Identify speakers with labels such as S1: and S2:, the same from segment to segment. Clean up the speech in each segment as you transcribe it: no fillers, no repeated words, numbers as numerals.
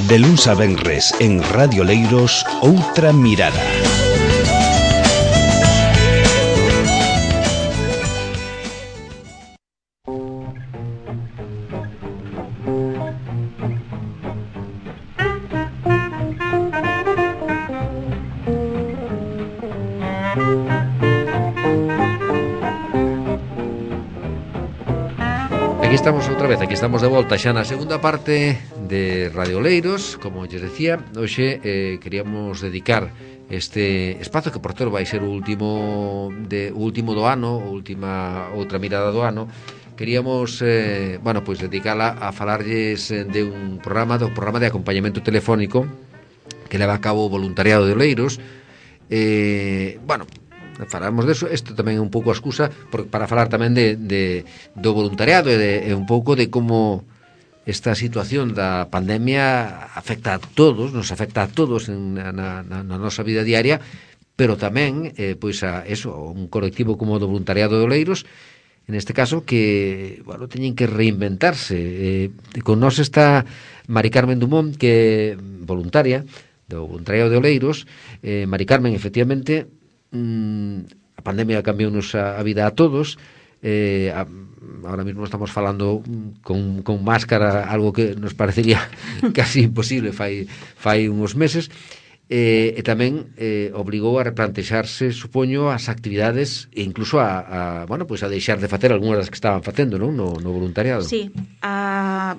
S1: De luns a venres en Radio Leiros, Outra Mirada.
S2: Aquí estamos de volta xa na segunda parte de Radio Leiros. Como lles decía, hoxe queríamos dedicar este espazo que por todo vai ser o último do ano, outra mirada do ano. Queríamos, pois dedicala a falarlles de un programa de acompañamento telefónico que leva a cabo o voluntariado de Oleiros. Falamos deso. Isto tamén é un pouco a excusa para falar tamén do voluntariado e un pouco de como esta situación da pandemia afecta a todos, nos afecta a todos na nosa vida diaria, pero tamén pois a eso, un colectivo como o do voluntariado de Oleiros, en este caso, que teñen que reinventarse. Con nós está Mari Carmen Dumont, que é voluntaria do voluntariado de Oleiros. Mari Carmen, efectivamente, a pandemia cambiounos a vida a todos. Ahora mismo estamos falando con máscara, algo que nos parecería casi imposible fai uns meses, e tamén obligou a replantexarse, supoño, as actividades e incluso a deixar de facer algunhas das que estaban facendo, non? No voluntariado.
S3: Sí, a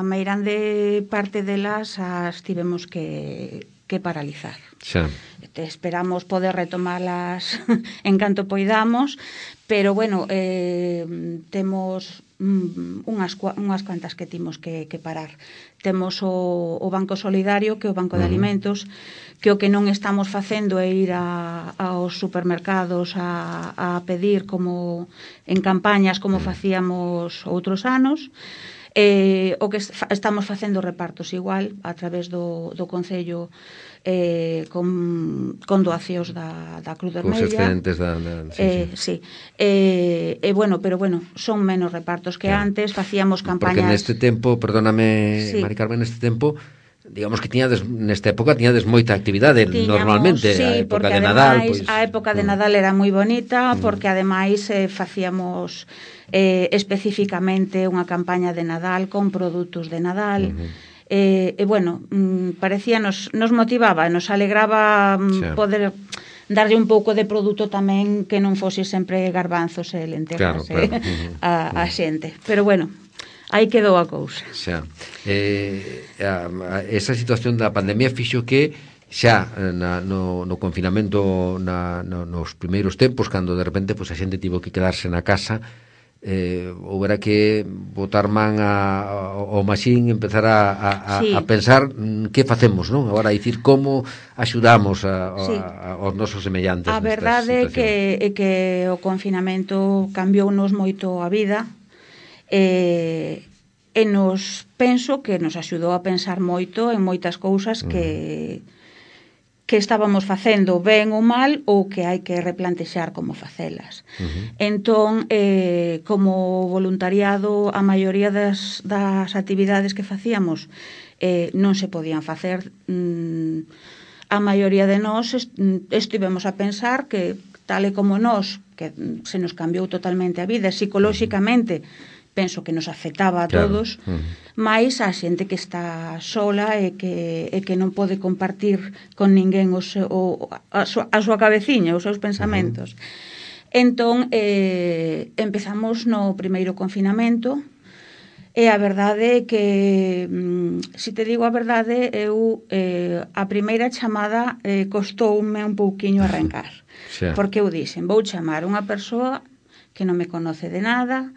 S3: meirande parte delas as tivemos que paralizar.
S2: Xa.
S3: Esperamos poder retomalas en canto poidamos, pero temos unhas cuantas que timos que parar. Temos o Banco Solidario, que é o Banco de Alimentos, que o que non estamos facendo é ir aos supermercados a pedir como en campañas como facíamos outros anos. O que estamos facendo repartos igual a través do Concello, con doacións da Cruz Vermella.
S2: Os excedentes
S3: sí. Pero son menos repartos que antes. Facíamos campañas.
S2: Porque neste tempo, perdóname, sí, Mari Carmen, neste tempo, digamos que nesta época tiñades moita actividade. Normalmente,
S3: sí,
S2: a época de
S3: ademais,
S2: Nadal, pois,
S3: a época de Nadal era moi bonita, porque ademais facíamos especificamente unha campaña de Nadal con produtos de Nadal. Parecía, nos motivaba, nos alegraba poder darlle un pouco de produto tamén que non fose sempre garbanzos e lentejas a xente. Pero aí quedou a cousa.
S2: Xa. Esa situación da pandemia fixo que xa no confinamento, nos primeiros tempos, cando de repente a xente tivo que quedarse na casa, houbera que botar man ao maxín, empezar a pensar que facemos, non? Agora, dicir, como axudamos aos nosos semellantes.
S3: A verdade é que o confinamento cambiounos moito a vida, e penso que nos axudou a pensar moito en moitas cousas que estábamos facendo ben ou mal, ou que hai que replantexar como facelas. Entón, como voluntariado, a maioría das actividades que facíamos non se podían facer. A maioría de nós estivemos a pensar que, tal e como nós, que se nos cambiou totalmente a vida, psicolóxicamente, penso que nos afectaba a todos, máis a xente que está sola e que non pode compartir con ninguén a súa cabeciña, os seus pensamentos. Entón, empezamos no primeiro confinamento, e a verdade é que, se te digo a verdade, eu a primeira chamada costoume un pouquiño arrancar, porque eu dixen, vou chamar unha persoa que non me conoce de nada,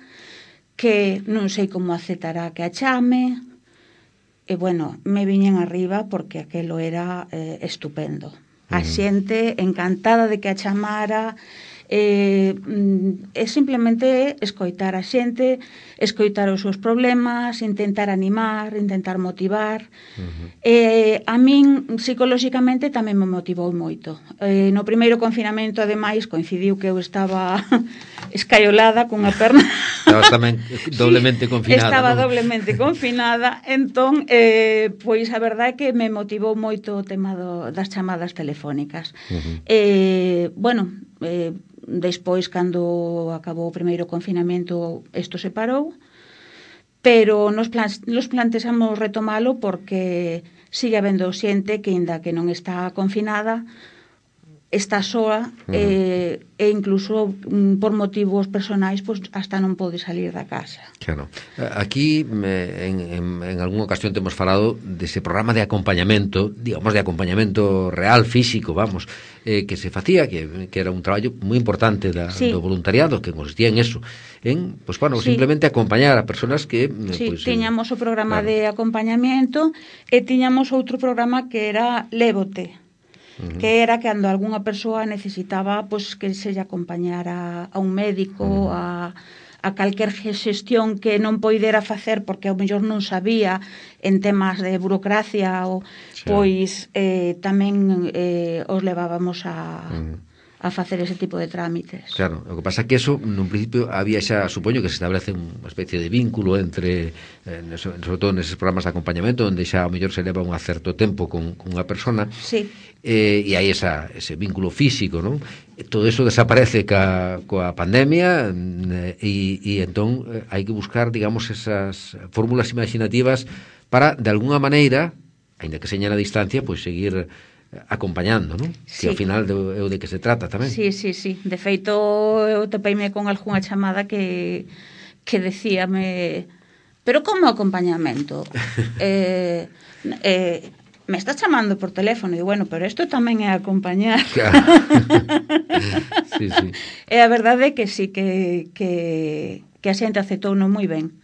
S3: que non sei como aceptará que a chame, e me viñen arriba porque aquelo era estupendo. A xente encantada de que a chamara, É simplemente escoitar a xente, escoitar os seus problemas, intentar animar, intentar motivar. A min, psicolóxicamente, tamén me motivou moito. No primeiro confinamento, ademais, coincidiu que eu estaba escaiolada cunha perna.
S2: Estabas tamén doblemente confinada,
S3: Estaba
S2: non?
S3: doblemente confinada, entón, pois a verdade é que me motivou moito o tema das chamadas telefónicas. Bueno, despois, cando acabou o primeiro confinamento, isto se parou, pero nos plantexamos retomalo porque sigue habendo xente que, inda que non está confinada, está soa e incluso por motivos personais pois hasta non pode salir da casa.
S2: Claro. Aquí en algunha ocasión temos falado dese programa de acompañamento, digamos de acompañamento real, físico, vamos, que se facía, que era un traballo moi importante do voluntariado, que consistía en eso, en, pues bueno, simplemente acompañar a persoas que
S3: tiñamos o programa de acompañamiento e tiñamos outro programa que era Lévote, que era cando algunha persoa necesitaba pois que se lle acompañara a un médico, a calquer xestión que non poidera facer porque ao mellor non sabía en temas de burocracia ou pois tamén os levábamos a facer ese tipo de trámites.
S2: Claro, o que pasa é que eso, nun principio, había xa, supoño que se establece unha especie de vínculo entre, sobre todo neses programas de acompañamento, onde xa ao mellor se leva un certo tempo con unha persona, e hai ese vínculo físico, non? Todo eso desaparece coa pandemia, e entón hai que buscar, digamos, esas fórmulas imaginativas para, de alguna maneira, aínda que seña a distancia, pois seguir acompañando, non? Que ao final é o de que se trata tamén.
S3: Sí. De feito, eu topeime con algunha chamada que decíame, pero como acompañamento? Me estás chamando por teléfono, e bueno, pero isto tamén é acompañar.
S2: Claro. Sí.
S3: E a verdade é que sí, que a xente aceptouno moi ben.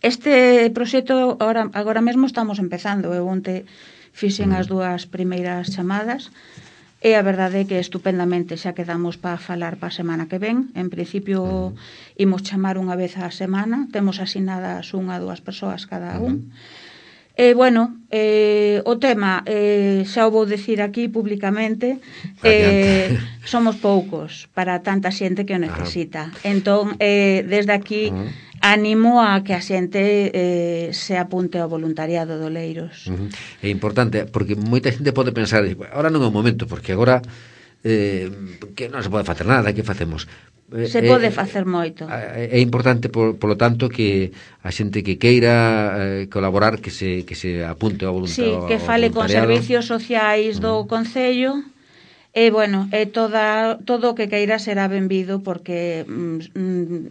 S3: Este proxecto agora mesmo estamos empezando. Eu onte fixen as dúas primeiras chamadas e a verdade é que estupendamente xa quedamos para falar para a semana que ven. En principio imos chamar unha vez a semana, temos asinadas 1 a 2 persoas cada un. E, bueno, o tema, xa o vou dicir aquí públicamente, somos poucos para tanta xente que o necesita. Entón, desde aquí, animo a que a xente se apunte ao voluntariado do Oleiros.
S2: É importante, porque moita xente pode pensar, ahora non é o momento, porque agora que non se pode facer nada, que facemos?
S3: Se pode facer moito.
S2: É importante, polo tanto, que a xente que queira colaborar, que se apunte ao voluntariado.
S3: Sí, que fale con servicios sociais do Concello. E, bueno, todo o que queira será benvido porque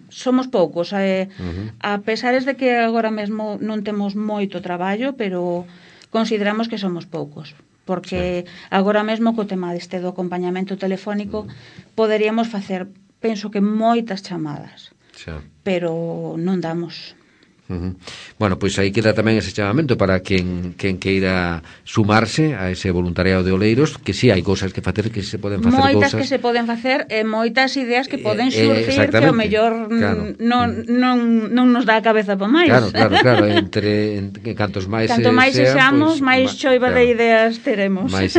S3: somos poucos. A pesares de que agora mesmo non temos moito traballo, pero consideramos que somos poucos. Porque agora mesmo co tema deste do acompañamento telefónico poderíamos facer, penso que moitas chamadas, pero non damos.
S2: Bueno, pois aí queda tamén ese chamamento para quen queira sumarse a ese voluntariado de Oleiros, que si hai cousas que facer, que se poden facer
S3: moitas que se poden facer e moitas ideas que poden xurgir que ao mellor non nos dá a cabeza para máis.
S2: Claro, entre cantos máis
S3: canto máis sexamos, máis choiva de ideas teremos.
S2: Máis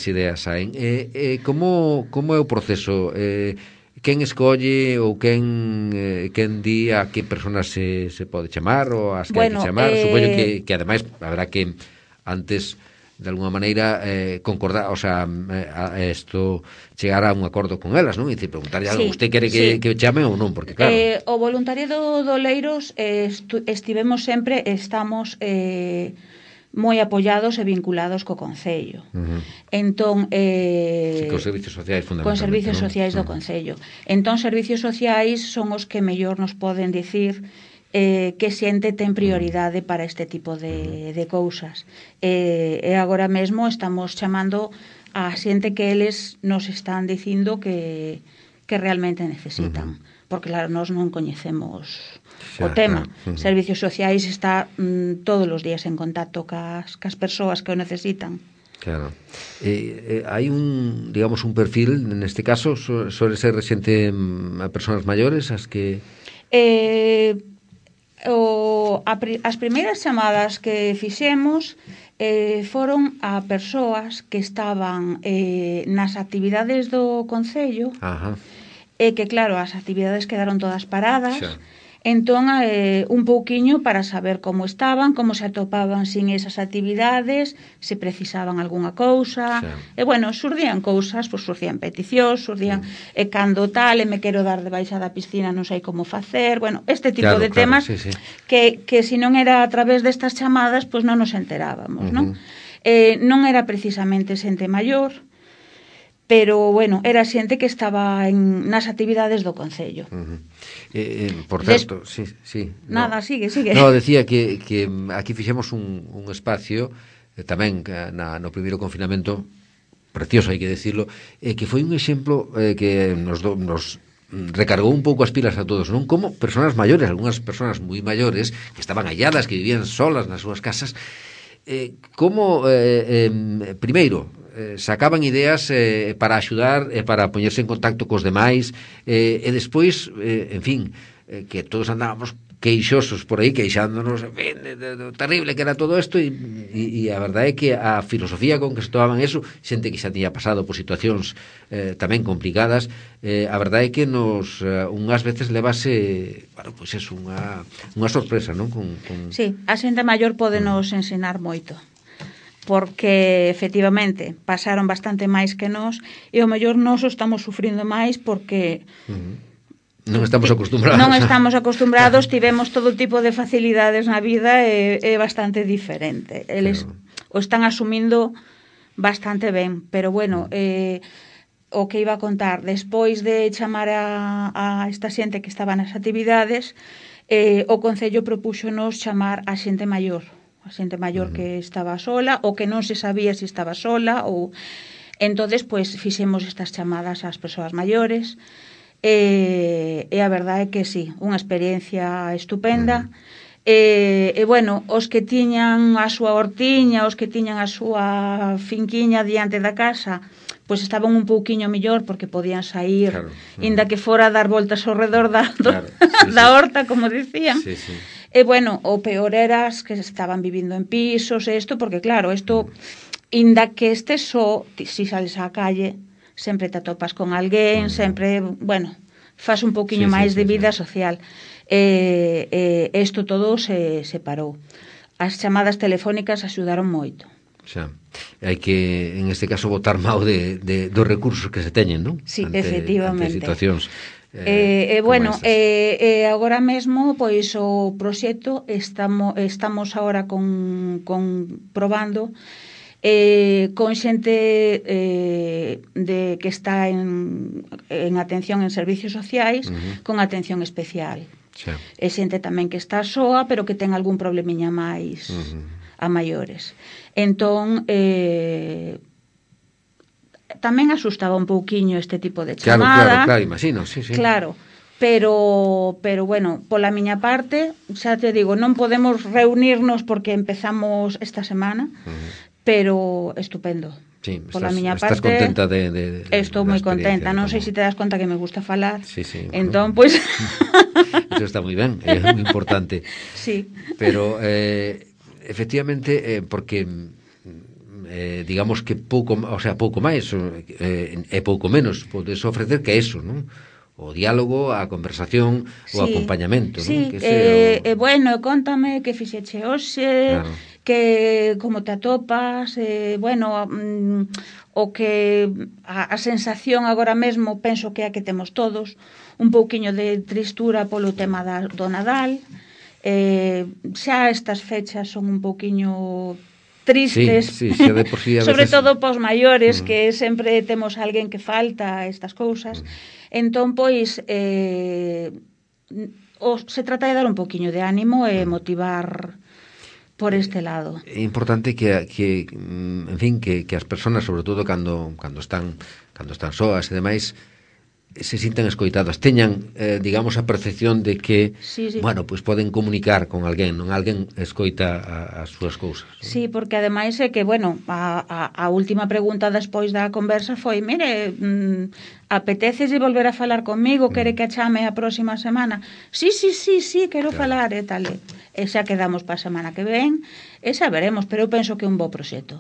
S2: ideas saen. Como é o proceso? Quen escolle ou quen di a que personas se pode chamar ou as que hai que chamar? Supoño que ademais habrá que antes de alguna maneira concordar, o sea, isto chegar a un acordo con elas, non? E dicir, preguntarlle algo, usted quere que chame ou non, porque claro.
S3: O voluntariado do Oleiros estamos moi apoiados e vinculados co Concello. Entón,
S2: cos servicios sociais fundamentalmente.
S3: Con servicios sociais do Concello. Entón, servicios sociais son os que mellor nos poden dicir que xente ten prioridade para este tipo de cousas. E agora mesmo estamos chamando a xente que eles nos están dicindo que realmente necesitan. Porque, claro, nós non coñecemos o tema. Servicios sociais está todos os días en contacto cas persoas que o necesitan.
S2: Claro. Hai digamos, un perfil, neste caso, suele ser xente a persoas maiores, as que...
S3: As primeiras chamadas que fixemos foron a persoas que estaban nas actividades do Concello.
S2: Ajá.
S3: E que, claro, as actividades quedaron todas paradas.
S2: Xa.
S3: Entón, un pouquiño para saber como estaban, como se atopaban sin esas actividades, se precisaban algunha cousa.
S2: Xa.
S3: E, bueno, xurdían cousas, pois xurdían peticións, xurdían cando tal, e me quero dar de baixa da piscina, non sei como facer. Bueno, este tipo de temas
S2: sí, sí.
S3: que se non era a través destas chamadas, pois non nos enterábamos, non? Non era precisamente xente maior, pero, bueno, era xente que estaba nas actividades do Concello.
S2: Por certo, sí.
S3: Nada, sigue.
S2: No, decía que aquí fixemos un espacio tamén no primeiro confinamento, precioso, hai que decirlo, que foi un exemplo que nos recargou un pouco as pilas a todos, non? Como persoas maiores, algunhas persoas moi maiores, que estaban alladas, que vivían solas nas súas casas, como, primeiro, sacaban ideas para axudar e para poñerse en contacto cos demais, e despois, en fin, que todos andábamos queixosos por aí, queixándonos do terrible que era todo isto, e a verdade é que a filosofía con que se tomaban eso, xente que xa tiña pasado por situacións tamén complicadas, a verdade é que nos unhas veces levase, bueno, pois é unha sorpresa, non?
S3: Sí, a xente maior pode nos ensinar moito, porque efectivamente pasaron bastante máis que nós, e o mellor nós o estamos sufrindo máis porque
S2: non estamos acostumbrados.
S3: Non estamos acostumbrados, tivemos todo tipo de facilidades na vida e é bastante diferente. Eles o están asumindo bastante ben, pero bueno, o que iba a contar, despois de chamar a esta xente que estaba nas actividades, o Concello propúxonos chamar a xente maior, que estaba sola ou que non se sabía se estaba sola, ou entonces pois fixemos estas chamadas ás persoas maiores. E a verdade é que sí, unha experiencia estupenda. E bueno, os que tiñan a súa hortiña, os que tiñan a súa finquiña diante da casa, pois estaban un pouquiño mellor porque podían sair, inda que fora a dar voltas ao redor da horta, como dicían. E bueno, o peor era as que estaban vivindo en pisos e isto, porque claro, isto, inda que estes só, si sales á calle, sempre te atopas con alguén, sempre, bueno, faz un pouquiño máis de vida social. Isto todo se parou. As chamadas telefónicas axudaron moito.
S2: Xa, hai que, en este caso, botar mao dos recursos que se teñen, non?
S3: Sí, efectivamente.
S2: Ante situacións
S3: bueno, agora mesmo, pois, o proxecto estamos agora probando con xente que está en atención en servicios sociais, con atención especial. É xente tamén que está soa, pero que ten algún problemiña máis a maiores. Entón, tamén asustaba un pouquiño este tipo de chamada.
S2: Claro, imagino, sí.
S3: Claro, pero bueno, pola miña parte, xa te digo, non podemos reunirnos porque empezamos esta semana, pero estupendo.
S2: Sí,
S3: pola miña parte,
S2: estás contenta de
S3: estou moi contenta, non sei se te das conta que me gusta falar.
S2: Sí.
S3: Entón, pois
S2: eso está moi ben, é moi importante.
S3: Sí.
S2: Pero efectivamente, porque digamos que pouco máis e pouco menos podes ofrecer que eso, non? O diálogo, a conversación, o acompañamento,
S3: sí,
S2: non? Que
S3: bueno, contame que fixeche hoxe, que como te atopas, bueno, o que a sensación agora mesmo penso que é a que temos todos, un pouquiño de tristura polo tema do Nadal. Xa estas fechas son un pouquiño tristes,
S2: xa de por sí,
S3: sobre todo pos maiores, que sempre temos alguén que falta estas cousas. Entón, pois, se trata de dar un pouquiño de ánimo e motivar por este lado.
S2: É importante que en fin, que as persoas, sobre todo cando están soas e demais, se sintan escoitadas, teñan, digamos, a percepción de que, bueno, pois poden comunicar con alguén, non? Alguén escoita as súas cousas. Non?
S3: Sí, porque ademais é que, bueno, a última pregunta despois da conversa foi, mire, apetece de volver a falar comigo, quere que a chame a próxima semana? Sí, quero falar e tal. E xa quedamos para a semana que ven, e xa veremos, pero eu penso que é un bo proxecto.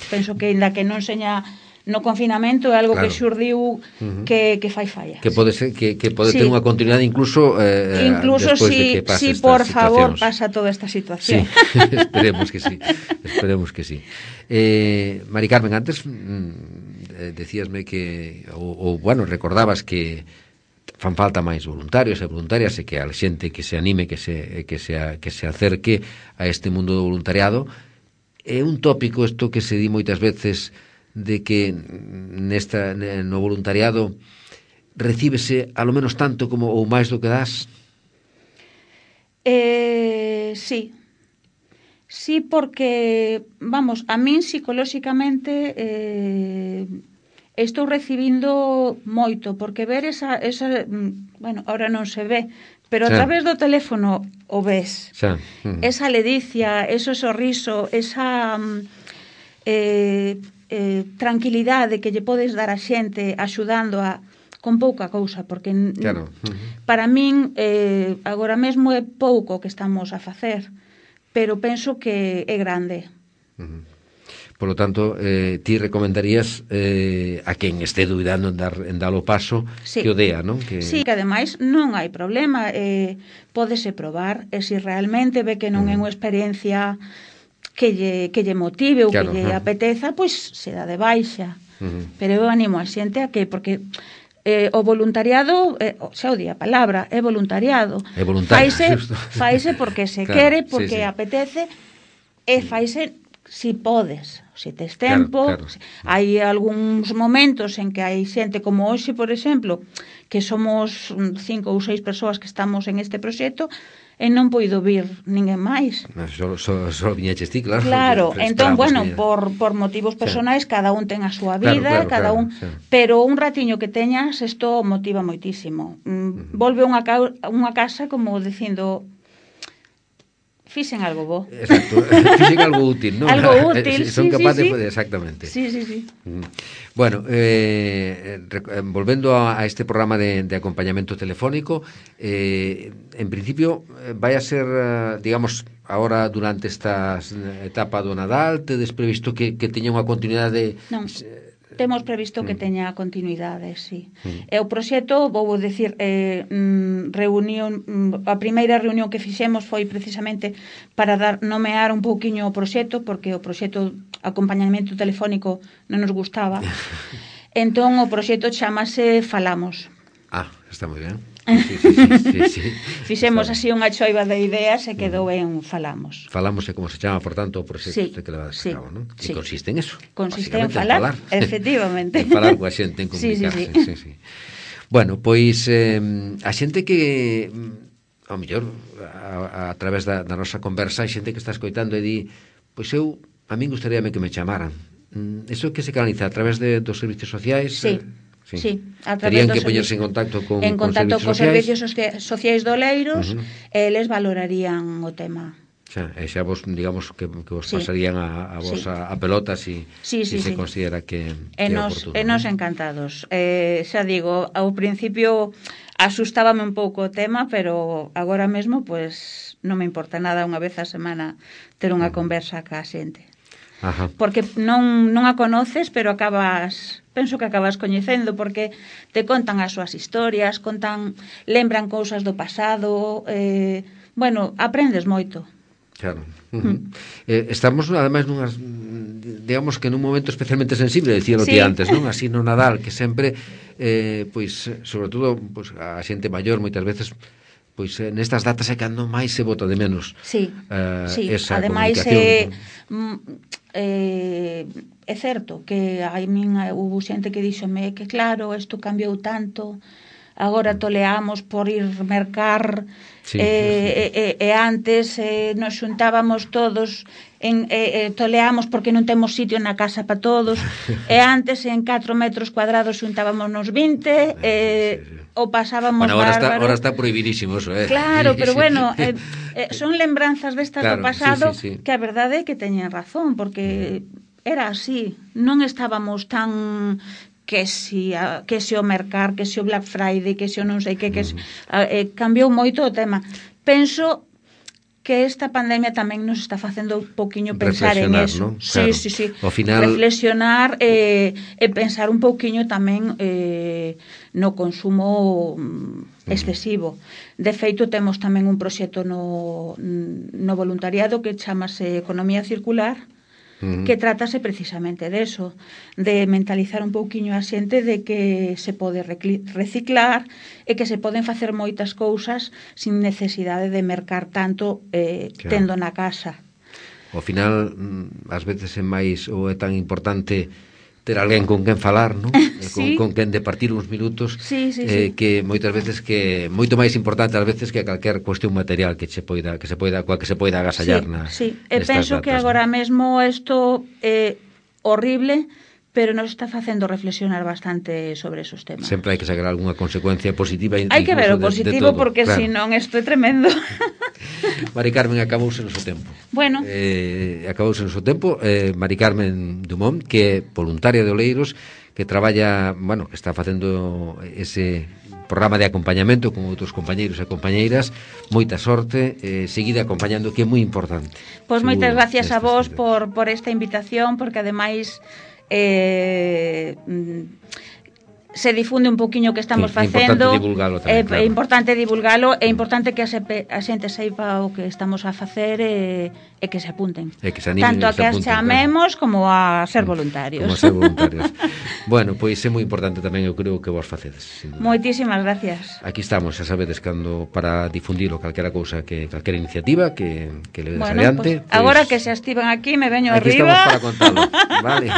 S3: Penso que, ainda que non seña no confinamento, é algo que xurdiu que fai falla.
S2: Que pode ser que pode ter unha continuidade incluso despois de que pase esta
S3: por favor,
S2: situacións.
S3: pasa toda esta situación.
S2: Sí, esperemos que sí. Mari Carmen, antes decíasme que ou bueno, recordabas que fan falta máis voluntarios e voluntarias e que a xente que se anime, que se acerque a este mundo do voluntariado. É un tópico isto que se di moitas veces de que no voluntariado recíbese a lo menos tanto como ou máis do que das?
S3: Sí, porque, vamos, a min psicolóxicamente estou recibindo moito, porque ver esa bueno, ahora non se ve, pero a través do teléfono o ves. Esa ledicia, ese sorriso, esa tranquilidade que lle podes dar a xente axudando con pouca cousa, porque para min agora mesmo é pouco que estamos a facer, pero penso que é grande.
S2: Por lo tanto, ti recomendarías a quen este dubidando en dar o paso que o dea, non?
S3: Sí, que ademais non hai problema, pódese probar, e se realmente ve que non é unha experiencia que lle motive ou que lle apeteza, pois se dá de baixa. Pero eu animo a xente a que, porque o voluntariado, xa o di a palabra, é voluntariado. Faise porque se quere, porque apetece, e faise si podes, se tes tempo. Hai algúns momentos en que hai xente como hoxe, por exemplo, que somos 5 ou 6 persoas que estamos en este proxecto, e non poido vir ninguén máis.
S2: Só viñeches ti, claro.
S3: Claro, entón, bueno, por motivos personais, cada un ten a súa vida, pero un ratiño que teñas, isto motiva moitísimo. Volve unha casa como dicindo, fixen algo bo.
S2: Exacto, fixen algo útil, non?
S3: Algo útil,
S2: son capaces de exactamente.
S3: Sí.
S2: Bueno, volvendo a este programa de acompañamento telefónico, en principio vai a ser, digamos, ahora durante esta etapa do Nadal, tedes previsto que teña unha continuidade?
S3: Non. Temos previsto que teña continuidade, sí. E o proxecto, vou dicir, a primeira reunión que fixemos foi precisamente para nomear un pouquiño o proxecto, porque o proxecto acompañamento telefónico non nos gustaba. Entón, o proxecto chamase Falamos.
S2: Está moi ben. Sí.
S3: Fixemos así unha choiva de ideas e quedou en Falamos.
S2: Falamos é como se chama, por tanto, o proxecto que levades a cabo, non? E consiste en eso.
S3: Consiste en falar, efectivamente.
S2: En falar coa xente, en comunicarse. Sí. Bueno, pois a xente que ao mellor a través da nosa conversa hai xente que está escoitando e di, pois a min gustaríame que me chamaran. Eso que se canaliza a través dos servicios sociais?
S3: Sí, a
S2: terían
S3: través
S2: que poñerse en contacto con
S3: servicios sociais do Oleiros, e eles valorarían o tema.
S2: Xa vos, digamos, que vos pasarían a vos a pelota si se considera que é oportuno.
S3: E nos encantados. Xa digo, ao principio asustábame un pouco o tema, pero agora mesmo, pues, non me importa nada unha vez a semana ter unha conversa ca xente. Porque non a conoces, pero penso que acabas coñecendo, porque te contan as súas historias, lembran cousas do pasado, bueno, aprendes moito.
S2: Claro. Estamos, ademais, digamos que nun momento especialmente sensible, dicíalo ti antes, non? Así no Nadal, que sempre, pois, sobre todo, pois, a xente maior, moitas veces, pois nestas datas é cando máis se bota de menos esa
S3: ademais,
S2: comunicación.
S3: É certo que a min hubo xente que díxome que claro, isto cambiou tanto, agora toleamos por ir mercar,
S2: Sí.
S3: e antes nos xuntábamos todos, toleamos porque non temos sitio na casa para todos, e antes en 4 metros cuadrados xuntábamos nos 20, o pasábamos bárbaro.
S2: Ahora está prohibidísimo eso,
S3: Claro, pero bueno, son lembranzas destas do
S2: Claro,
S3: pasado,
S2: sí.
S3: que a verdade é que teñen razón, porque era así, non estábamos tan que si o mercar, que si o Black Friday, que si o non sei que cambiou moito o tema. Penso que esta pandemia tamén nos está facendo un poquinho pensar en eso.
S2: ¿No? Claro.
S3: Sí.
S2: Ao final...
S3: Reflexionar e pensar un poquinho tamén no consumo excesivo. De feito, temos tamén un proxecto no voluntariado que chamase Economía Circular, que trátase precisamente deso, de mentalizar un pouquiño a xente de que se pode reciclar e que se poden facer moitas cousas sin necesidade de mercar tanto tendo na casa.
S2: Ao final, ás veces é máis ou é tan importante ter alguén con quen falar, non?
S3: Sí.
S2: Con quen de partir uns minutos,
S3: sí.
S2: que moitas veces que moito máis importante ás veces que calquer cuestión material que se poida agasallar na.
S3: Sí. E penso que agora mesmo isto é horrible, pero nos está facendo reflexionar bastante sobre esos temas.
S2: Sempre hai que sacar algunha consecuencia positiva.
S3: Hai que ver o positivo, porque claro, senón isto é tremendo.
S2: Mari Carmen, acabouse o noso tempo.
S3: Bueno.
S2: Acabouse o noso tempo. Mari Carmen Dumont, que é voluntaria de Oleiros, que traballa, que está facendo ese programa de acompañamento con outros compañeiros e compañeiras. Moita sorte, seguida acompañando, que é moi importante.
S3: Pois moitas gracias a vos por esta invitación, porque ademais se difunde un poquinho o que estamos facendo. É importante divulgalo, é importante que a xente seiba o que estamos a facer e que se apunten.
S2: Que se animen,
S3: tanto a que as chamemos como a ser voluntarios.
S2: Como a ser voluntarios. Bueno, pois é moi importante tamén, eu creo, que vos facedes.
S3: Moitísimas gracias.
S2: Aquí estamos, xa sabedes, cando para difundir calquera cousa, calquera iniciativa que levedes adiante.
S3: Pues, agora que se estiven aquí, me veño
S2: aquí
S3: arriba.
S2: Aquí estamos para contalo. Vale.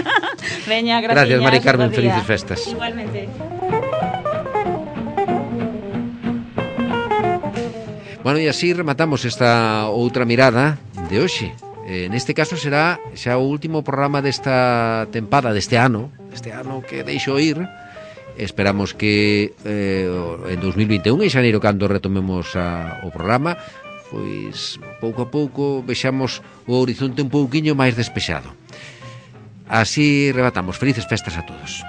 S3: Veña, gracias,
S2: Mari Carmen, felices festas.
S3: Igualmente.
S2: Bueno, e así rematamos esta outra mirada de hoxe. Neste caso será xa o último programa desta tempada, deste ano que deixo ir. Esperamos que en 2021, en xaneiro, cando retomemos o programa, pois pouco a pouco vexamos o horizonte un pouquiño máis despexado. Así rematamos. Felices festas a todos.